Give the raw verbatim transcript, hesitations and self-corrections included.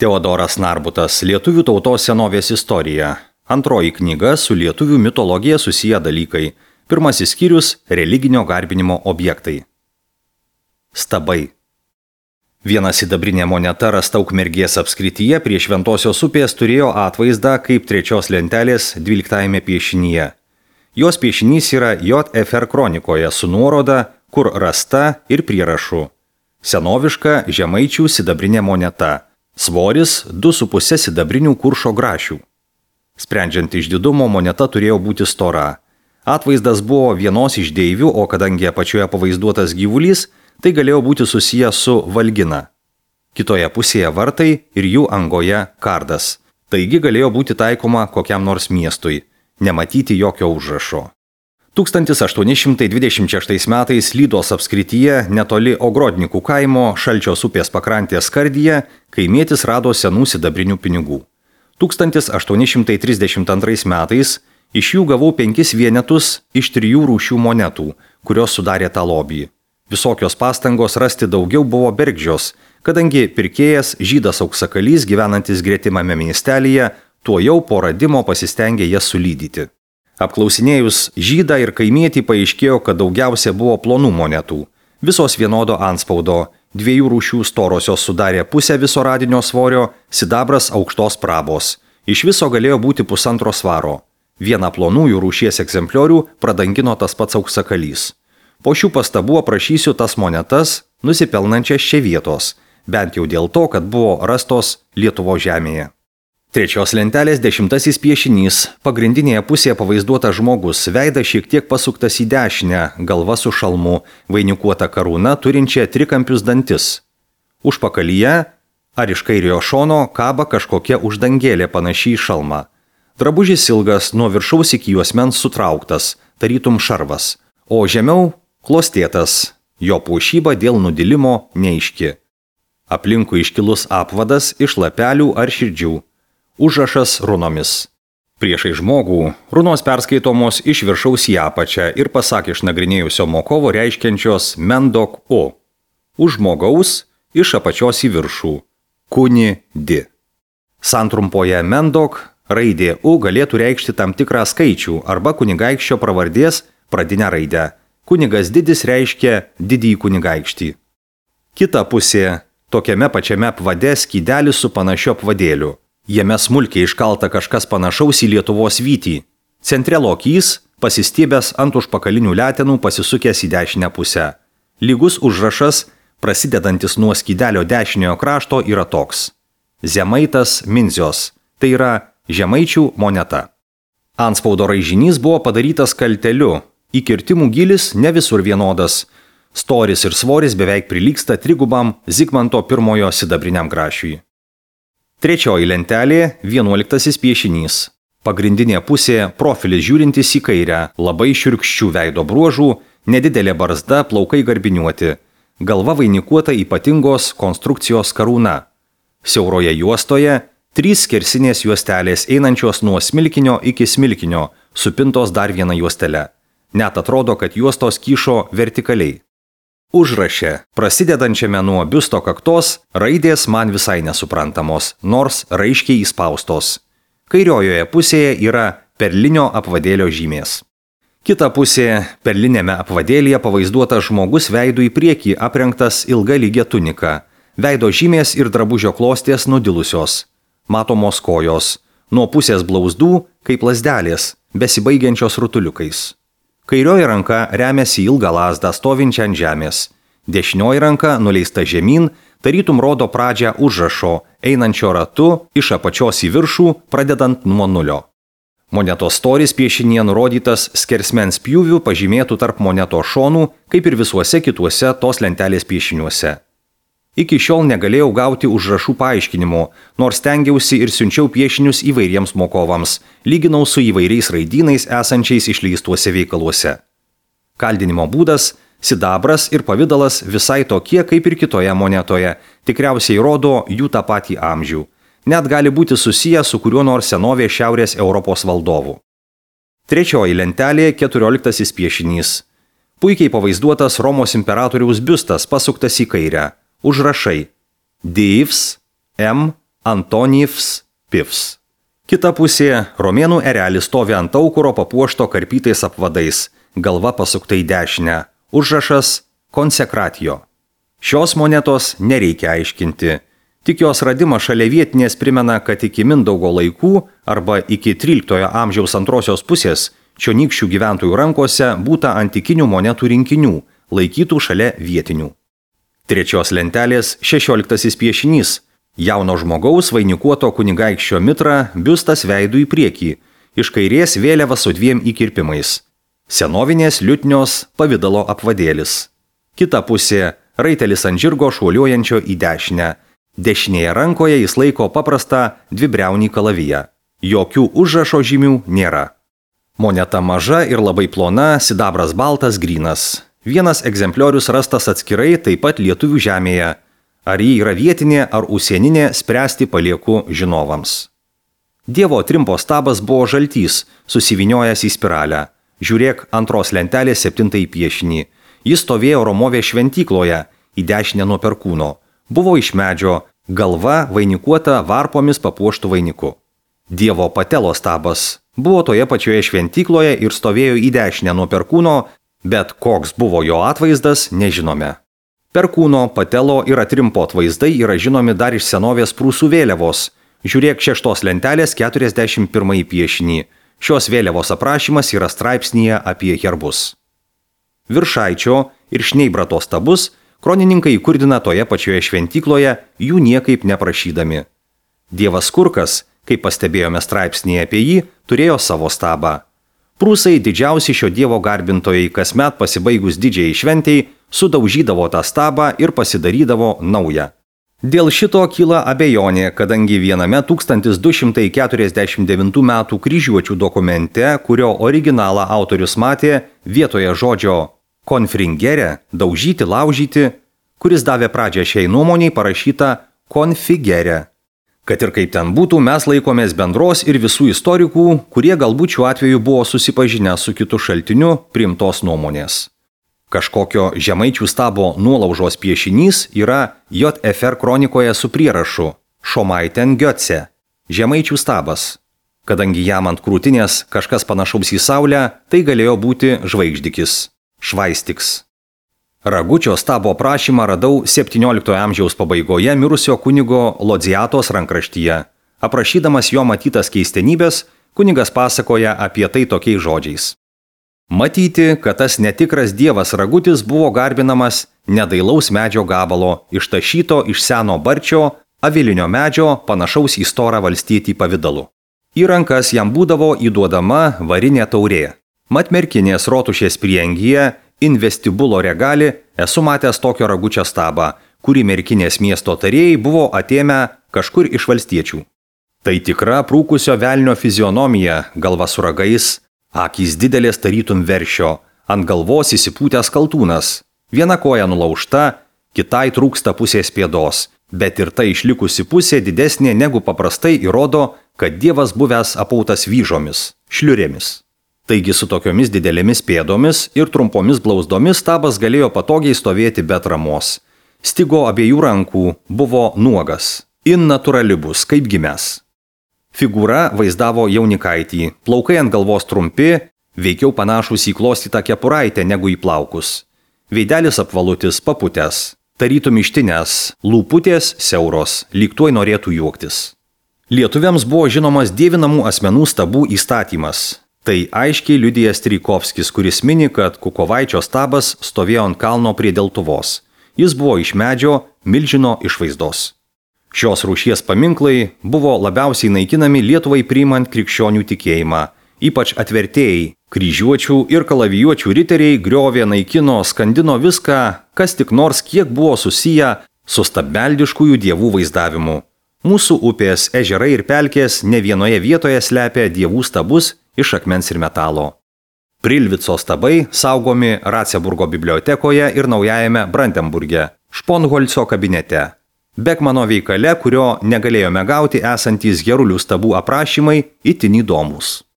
Teodoras Narbutas, Lietuvių tautos senovės istorija. Antroji knyga su lietuvių mitologija susiję dalykai. Pirmasis skyrius – religinio garbinimo objektai. Stabai. Viena sidabrinė moneta rasta Ukmergės apskrityje prie Šventosios upės turėjo atvaizdą kaip trečios lentelės dvyliktajame piešinyje. Jos piešinys yra J F R kronikoje su nuoroda, kur rasta ir prierašu. Senoviška žemaičių sidabrinė moneta. Svoris du su puse sidabrinių kuršo grašių. Sprendžiant iš didumo, moneta turėjo būti stora. Atvaizdas buvo vienos iš deivių, o kadangi apačioje pavaizduotas gyvulys, tai galėjo būti susijęs su valgina. Kitoje pusėje vartai ir jų angoje kardas. Taigi galėjo būti taikoma kokiam nors miestui. Nematyti jokio užrašo. tūkstantis aštuoni šimtai dvidešimt šeštais metais Lydos apskrityje netoli Ogrodnikų kaimo Šalčios upės pakrantės skardyje kaimietis rado senų sidabrinių pinigų. tūkstantis aštuoni šimtai trisdešimt antrais metais iš jų gavau penkis vienetus iš trijų rūšių monetų, kurios sudarė tą lobį. Visokios pastangos rasti daugiau buvo bergždžios, kadangi pirkėjas žydas auksakalys gyvenantis gretimame miestelyje tuo jau po radimo pasistengė jas sulydyti. Apklausinėjus žydą ir kaimietį paaiškėjo, kad daugiausia buvo plonų monetų. Visos vienodo antspaudo, dviejų rūšių storosios sudarė pusę viso radinio svorio, sidabras aukštos prabos. Iš viso galėjo būti pusantro svaro. Vieną plonųjų rūšies egzempliorių pradangino tas pats auksakalys. Po šių pastabų aprašysiu tas monetas, nusipelnančias čia vietos, bent jau dėl to, kad buvo rastos Lietuvos žemėje. Trečios lentelės dešimtasis piešinys. Pagrindinėje pusėje pavaizduotas žmogus, veidas šiek tiek pasuktas į dešinę, galva su šalmu, vainikuota karūna turinčia trikampius dantis. Užpakalyje ar iš kairiojo šono kaba kažkokia uždangėlė panašiai į šalmą. Drabužis ilgas, nuo viršaus iki juosmens sutrauktas, tarytum šarvas, o žemiau klostėtas, jo puošyba dėl nudilimo neaiški. Aplinkui iškilus apvadas iš lapelių ar širdžių. Užrašas runomis. Priešai žmogų runos perskaitomos iš viršaus į apačią ir pasak išnagrinėjusio mokovo reiškiančios mendok o. Už žmogaus iš apačios į viršų. Kuni di. Santrumpoje mendok raidė u galėtų reikšti tam tikrą skaičių arba kunigaikščio pravardės pradinę raidę. Kunigas didis reiškia didįjį kunigaikštį. Kita pusė. Tokiame pačiame apvade skydelis su panašiu apvadėliu. Jame smulkiai iškalta kažkas panašaus į Lietuvos vytį. Centre lokys, pasistiebęs ant užpakalinių letenų pasisukęs į dešinę pusę. Lygus užrašas, prasidedantis nuo skydelio dešiniojo krašto, yra toks. Zemaitas Minzios, tai yra žemaičių moneta. Antspaudo raižinys buvo padarytas kalteliu, įkirtimų gilis ne visur vienodas. Storis ir svoris beveik prilygsta trigubam Zigmanto pirmojo sidabriniam grašiui. Trečioji lentelė – vienuoliktasis piešinys. Pagrindinė pusė – profilis žiūrintis į kairę, labai šiurkščių veido bruožų, nedidelė barzda, plaukai garbiniuoti. Galva vainikuota ypatingos konstrukcijos karūna. Siauroje juostoje – trys skersinės juostelės einančios nuo smilkinio iki smilkinio, supintos dar viena juostele. Net atrodo, kad juostos kyšo vertikaliai. Užraše, prasidedančiame nuo biusto kaktos, raidės man visai nesuprantamos, nors raiškiai įspaustos. Kairiojoje pusėje yra perlinio apvadėlio žymės. Kita pusė, perlinėme apvadėlyje pavaizduotas žmogus veidu į priekį aprengtas ilga lygia tunika. Veido žymės ir drabužio klostės nudilusios. Matomos kojos. Nuo pusės blauzdų, kaip lazdelės, besibaigiančios rutuliukais. Kairioji ranka remiasi ilgą lazdą stovinčią ant žemės. Dešinioji ranka nuleista žemyn, tarytum rodo pradžią užrašo, einančio ratu iš apačios į viršų, pradedant nuo nulio. Monetos storis piešinėje nurodytas skersmens pjūvių pažymėtų tarp monetos šonų, kaip ir visuose kituose tos lentelės piešiniuose. Iki šiol negalėjau gauti užrašų paaiškinimo, nors stengiausi ir siunčiau piešinius įvairiems mokovams, lyginau su įvairiais raidynais esančiais išleistuose veikaluose. Kaldinimo būdas, sidabras ir pavidalas visai tokie kaip ir kitoje monetoje, tikriausiai rodo jų tą patį amžių. Net gali būti susiję su kuriuo nors senovės Šiaurės Europos valdovu. Trečioji lentelė – keturioliktasis piešinys. Puikiai pavaizduotas Romos imperatoriaus biustas pasuktas į kairę. Užrašai Dievs, M, Antonijevs pivs. Kita pusė – romėnų erelis stovi ant aukuro papuošto karpytais apvadais, galva pasukta į dešinę, užrašas konsekratio. Šios monetos nereikia aiškinti. Tik jos radimas šalia vietinės primena, kad iki Mindaugo laikų arba iki tryliktojo amžiaus antrosios pusės čionykščių gyventojų rankose būta antikinių monetų rinkinių, laikytų šalia vietinių. Trečios lentelės šešioliktasis piešinys. Jauno žmogaus vainikuoto kunigaikščio mitra, biustas veidu į priekį, iš kairės vėliava su dviem įkirpimais. Senovinės liutnios pavidalo apvadėlis. Kita pusė – raitelis ant žirgo šuoliuojančio į dešinę. Dešinėje rankoje jis laiko paprastą dvibriaunį kalaviją. Jokių užrašo žymių nėra. Moneta maža ir labai plona, sidabras baltas, grynas. Vienas egzempliorius rastas atskirai taip pat lietuvių žemėje. Ar ji yra vietinė ar užsieninė, spręsti palieku žinovams. Dievo trimpo stabas buvo žaltys, susiviniojęs į spiralę. Žiūrėk antros lentelės septintąjį piešinį. Jis stovėjo Romovės šventykloje, į dešinę nuo perkūno. Buvo iš medžio, galva vainikuota varpomis papuoštų vainiku. Dievo patelo stabas buvo toje pačioje šventykloje ir stovėjo į dešinę nuo perkūno, bet koks buvo jo atvaizdas, nežinome. Perkūno, patelo ir atrimpo atvaizdai yra žinomi dar iš senovės prūsų vėliavos. Žiūrėk šeštos lentelės keturiasdešimt pirmąjį piešinį. Šios vėliavos aprašymas yra straipsnyje apie herbus. Viršaičio ir Šneibrato stabus kronininkai įkurdina toje pačioje šventykloje, jų niekaip neprašydami. Dievas Kurkas, kaip pastebėjome straipsnyje apie jį, turėjo savo stabą. Prūsai, didžiausi šio dievo garbintojai, kasmet pasibaigus didžiai šventei, sudaužydavo tą stabą ir pasidarydavo naują. Dėl šito kyla abejonė, kadangi viename tūkstantis du šimtai keturiasdešimt devintų metų kryžiuočių dokumente, kurio originalą autorius matė, vietoje žodžio konfringere, daužyti, laužyti, kuris davė pradžią šiai nuomoniai, parašyta konfigere. Kad ir kaip ten būtų, mes laikomės bendros ir visų istorikų, kurie galbūt šiuo atveju buvo susipažinę su kitu šaltiniu, priimtos nuomonės. Kažkokio žemaičių stabo nuolaužos piešinys yra J F R kronikoje su prierašu Šomaiten Götze, žemaičių stabas. Kadangi jam ant krūtinės kažkas panašaus į saulę, tai galėjo būti žvaigždikis, švaistiks. Ragučio stabo prašymą radau septynioliktojo amžiaus pabaigoje mirusio kunigo Lodziatos rankraštyje. Aprašydamas jo matytas keistenybės, kunigas pasakoja apie tai tokiais žodžiais. Matyti, kad tas netikras dievas Ragutis buvo garbinamas nedailaus medžio gabalo, ištašyto iš seno barčio, avilinio medžio, panašaus į storą valstietį pavidalu. Į rankas jam būdavo įduodama varinė taurė. Mat merkinės rotušės prieangyje in vestibulo regali esu matęs tokio Ragučio stabą, kurį merkinės miesto tarėjai buvo atėmę kažkur iš valstiečių. Tai tikra prūkusio velnio fizionomija, galva su ragais, akys didelės tarytum veršio, ant galvos įsipūtęs kaltūnas, viena koja nulaužta, kitai trūksta pusės pėdos, bet ir ta išlikusi pusė didesnė negu paprastai įrodo, kad dievas buvęs apautas vyžomis, šliurėmis. Taigi su tokiomis didelėmis pėdomis ir trumpomis blauzdomis stabas galėjo patogiai stovėti be atramos. Stigo abiejų rankų, buvo nuogas, in naturalibus, kaip gimęs. Figūra vaizdavo jaunikaitį, plaukai ant galvos trumpi, veikiau panašus į klostytą kepuraitę negu į plaukus. Veidelis apvalutis, paputęs, tarytum ištinės, lūputės siauros, lyg tuoj norėtų juoktis. Lietuviams buvo žinomas dievinamų asmenų stabų įstatymas. Tai aiškiai liudija Strijkovskis, kuris mini, kad Kukovaičio stabas stovėjo ant kalno prie Deltuvos. Jis buvo iš medžio, milžino išvaizdos. Šios rūšies paminklai buvo labiausiai naikinami Lietuvai priimant krikščionių tikėjimą. Ypač atvertėjai, kryžiuočių ir kalavijuočių riteriai griovė, naikino, skandino viską, kas tik nors kiek buvo susiję su stabmeldiškųjų dievų vaizdavimu. Mūsų upės, ežerai ir pelkės ne vienoje vietoje slepia dievų stabus iš akmens ir metalo. Prilvico stabai saugomi Ratzeburgo bibliotekoje ir naujajame Brandenburge, Šponholco kabinete. Bekmano veikale, kurio negalėjome gauti, esantys Gerulių stabų aprašymai itin įdomus.